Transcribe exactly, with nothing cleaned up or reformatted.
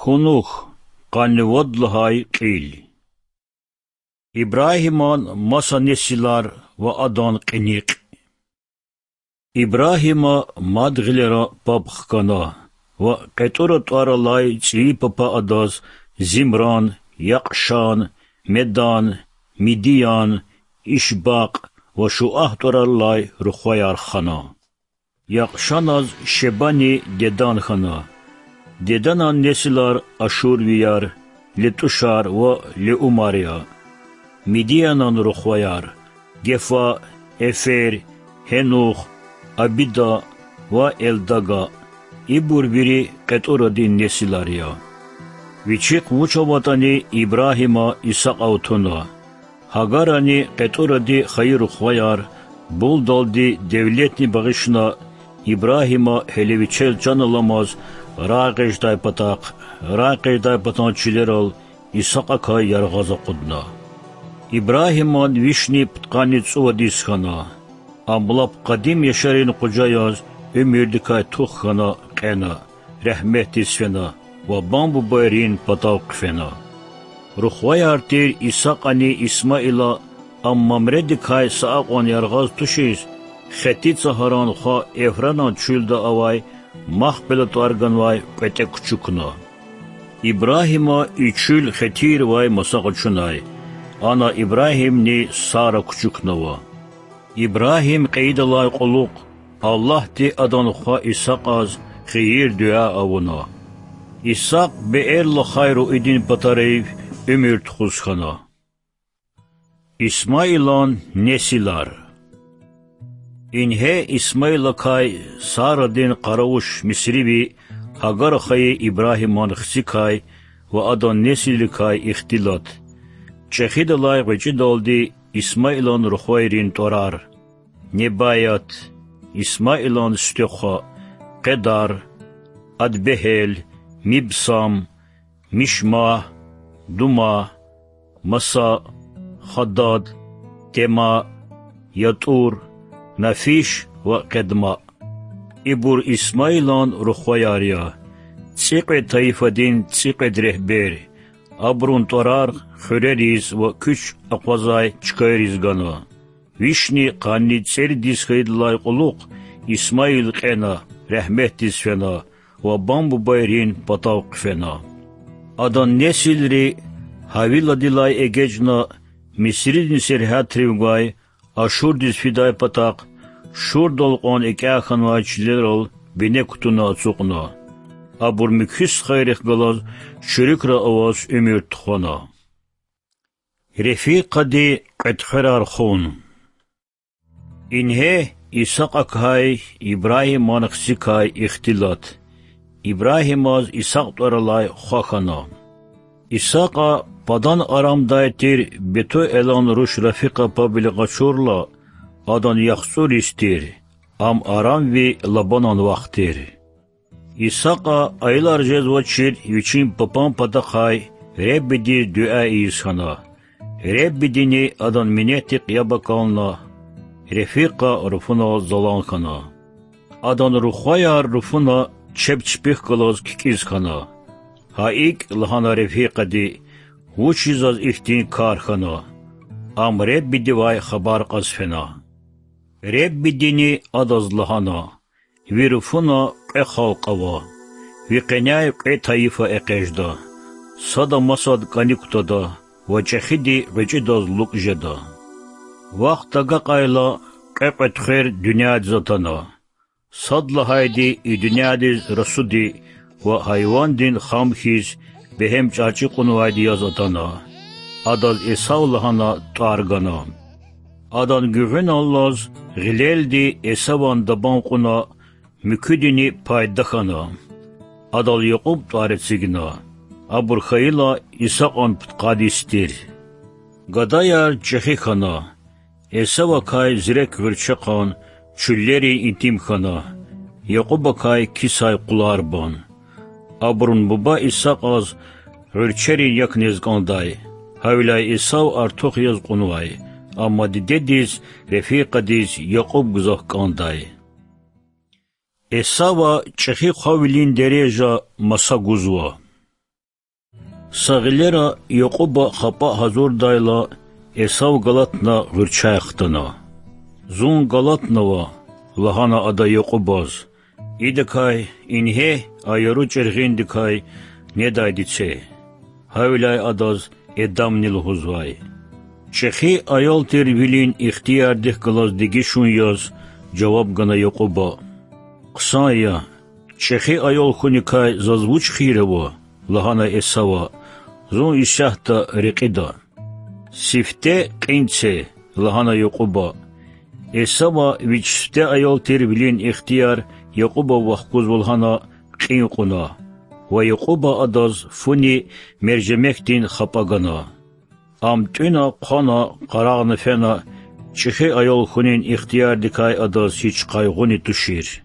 Кунух, къанни вад лагьай кьил. Ибрагьиман маса несилар ва адан кьиникь. Ибрагьима мад гъилера паб хкана ва кьетӀура тӀвар алай цӀийи папа адаз Зимран, Якьшан, Медан, Мидиян, Ишбакь ва Шуагь тӀварар алай рухваяр хана. Якьшаназ Шебани Дедан хьана. Деданан несилар ашурвияр, летӀушар ва леумар я. Мидиянан рухваяр: Гефа, Эфер, Гьенух, Абида ва Элдага. Ибур вири кьетӀурадин несилар я. Вичихъ вуч аватӀани, Ибрагьима Исакьав туна. Гьагарани кьетӀуради хайи рухваяр, булдалди девлетни багъишна, Ибрагьима гьеле вичел чан аламаз рагъ эгъидай патахъ, рагъ эгъидай патан чилерал Исакьакай яргъаз акъудна. Ибрагьиман вишни пудкъанни цӀувад йис хьана. Ам лап къадим яшарин къужа яз уьмуьрдикай тух хьана кьена, регьметдиз фена ва бан-бубайрин патав хъфена. Рухваяр тир Исакьани Исмаила, ам Мамредикай са акьван яргъаз тушиз, Хетица гьаран хва Эфранан чуьлда авай Махпела тӀвар ганвай кьветӀе кучукна. Ибрагьима и чуьл хетийривай маса къачунай. Ана Ибрагьимни Сара кучукнава. Ибрагьим кьейидалай кьулухъ Аллагьди адан хва Исакьаз хийир-дуьа авуна. Исакь Беэрлахай руидин патарив уьмуьр тухуз хьана. Исмаилан несилар. Ингье Исмаилакай Сарадин къаравуш Мисриви Гьагара хайи Ибрагьиман хцикай ва адан несилрикай ихтилат. ЧӀехидалай гъвечӀидалди Исмаилан рухвайрин тӀварар: Небаят, Исмаилан Сифтехва, Къедар, Адбегьел, Мибсам, Мишма, Дума, Маса, Хадад, Тема, ЯтӀур, Нафиш ва Къедма. Ибур Исмаилан рухваяр я, цӀикьвед тайифадин цӀикьвед регьбер. Абурун тӀварар хуьрериз ва куьч акъвазай чкайриз гана. Вишни къанни цӀерид йис хьайидалай кьулухъ Исмаил кьена, регьметдиз фена ва бан-бубайрин патав хъфена. Адан несилри Гьавиладилай эгечӀна Мисридин сергьятривай Ашурдиз фидай патахъ, Шурдал кьван экӀя хьанвай чилерал бине кутуна ацукьна. Абур муькуь стхайрихъ галаз чуьруькра аваз уьмуьр тухвана. Рефикъади кьветӀхверар хун. Ингье Исакьакай Ибрагьиман хцикай ихтилат. Ибрагьимаз Исакь тӀвар алай хва хьана. Исакьа Падан-Арамдай тир Бетуэлан руш Рафикьа паб вилик къачурла, адан яхцӀур йис тир, ам арамви Лабанан вах тир. Исакьа аялар жезвачир вичин папан патахъай Реббидиз дуьа ийиз хьана. Реббидини адан минетдихъ яб акална, Рефикьа руфунал залан хьана. Адан рухваяр руфуна чеб чпихъ галаз кикӀиз хьана. Гьа икӀ, лагьана Рефикьади, вучиз заз ихьтин кар хьана? Ам Реббидивай хабар кьаз фена. Реббидини адаз лагьана: Ви руфуна кьве халкь ава, ви къеняй кьве тайифа экъечӀда, сада масад кӀаник кутада ва чӀехиди гъвечӀидаз лукӀ жеда. Вахт агакьайла кьве кьветӀхвер дуьньядиз атана. Сад лагьайди и дуьньядиз расуди ва гьайвандин хам хьиз бегьем чӀарчӀи кьунвайди яз атана. Адаз Эсав лагьана тӀвар гана. Адан гуьгъуьналлаз гъилелди Эсаван дабан кьуна, муькуьдини пайда хьана. Адал Якьуб тӀвар эцигна. Абур хьайила Исакьан пудкъад йис тир. Гадаяр чӀехи хьана. Эсавакай зирек гъуьрчехъан чуьллерин итим хьана, Якьубакай кисай къуларбан. Абурун буба Исакьаз гъуьрчерин як нез кӀандай, гьавиляй Эсав артух яз кьунвай, амма дидедиз, Рефикьадиз Якьуб гзаф кӀандай. Эсава чӀехи хъвавилин дережа маса гузва. Са гъилера Якьуба хапӀа гьазурдайла, Эсав галатна гъуьрчяй хтана. Зун галатнава,– лагьана ада Якьубаз,– идакай ингье а яру чӀиргъиндикай недайди це. Гьавиляй адаз Эдамни лугьузвай. ЧӀехи аял тир вилин ихтиярдихъ галаз дегишун яз жаваб гана Якьуба. Хъсан я, чӀехи аял хьуникай заз вуч хийир ава? лагьана Эсава, зун исятда рекьида. Сифте кьин це,– лагьана Якьуба. Эсава вич сифте аял тир вилин ихтияр Якьубав вахкузва лагьана кьин кьуна, ва Якьуба адаз фуни мержемекдин хапӀа гана. Ам тӀуьна-хъвана, къарагъна фена, чӀехи аял хьунин ихтиярдикай адаз гьич къайгъуни тушир.